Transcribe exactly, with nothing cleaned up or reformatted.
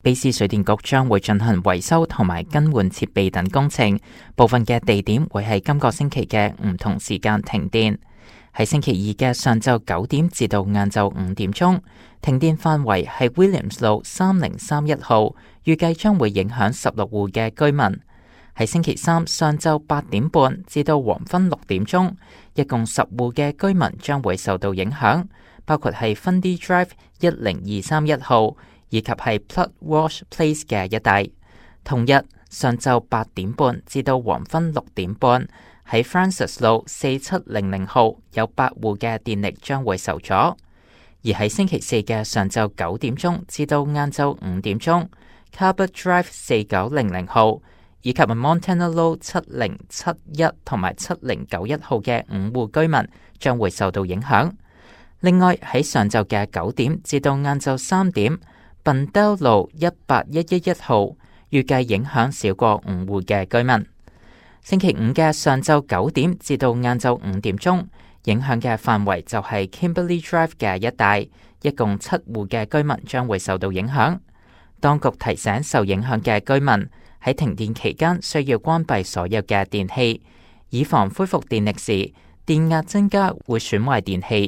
卑斯水電局將會進行維修同埋更換設備等工程，部分嘅地點會喺今個星期嘅唔同時間停電。喺星期二嘅上晝九點至到晏晝五點鐘，停電範圍係 Williams 路三零三一號，預計將會影響十六戶嘅居民。喺星期三上晝八點半至到黃昏六點鐘，一共十戶嘅居民將會受到影響，包括係 Fundy Drive 一零二三一號，以及係 Plug Wash Place 嘅一帶。同日上晝八點半至到黃昏六點半，喺 Francis 路四七零零號有八戶嘅電力將會受阻。而喺星期四嘅上晝九點鐘至到晏晝五點鐘 Cabot Drive 四九零零號以及 Montana Low 七零七一同埋七零九一號嘅五戶居民將會受到影響。另外喺上晝嘅九點至到晏晝三點，Bundell 路一八一一一號預計影響少過五戶嘅居民。星期五嘅上晝九點至到晏晝五點鐘，影響嘅範圍就係 Kimberly Drive 嘅一帶，一共七戶嘅居民將會受到影響。當局提醒受影響嘅居民喺停電期間需要關閉所有嘅電器，以防恢復電力時電壓增加會損壞電器。